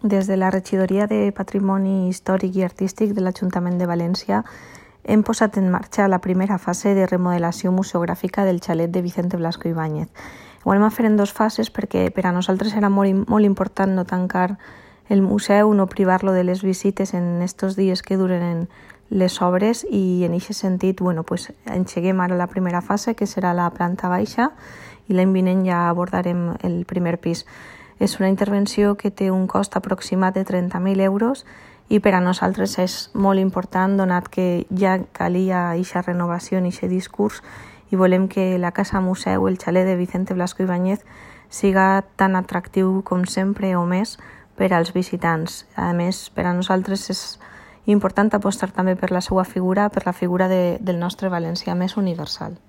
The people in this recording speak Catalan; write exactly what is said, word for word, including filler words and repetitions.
Des de la Regidoria de Patrimoni Històric i Artístic de l'Ajuntament de València hem posat en marxa la primera fase de remodelació museogràfica del xalet de Vicente Blasco Ibáñez. Ho anem a fer en dues fases perquè per a nosaltres era molt, molt important no tancar el museu, no privar-lo de les visites en estos dies que duren les obres i en aquest sentit bueno, pues, engeguem ara la primera fase que serà la planta baixa i l'any vinent ja abordarem el primer pis. És una intervenció que té un cost aproximat de trenta mil euros i per a nosaltres és molt important donat que ja calia aquesta renovació en aquest discurs i volem que la Casa Museu, el xalet de Vicente Blasco Ibáñez, siga tan atractiu com sempre o més per als visitants. A més, per a nosaltres és important apostar també per la seva figura, per la figura de, del nostre valencià més universal.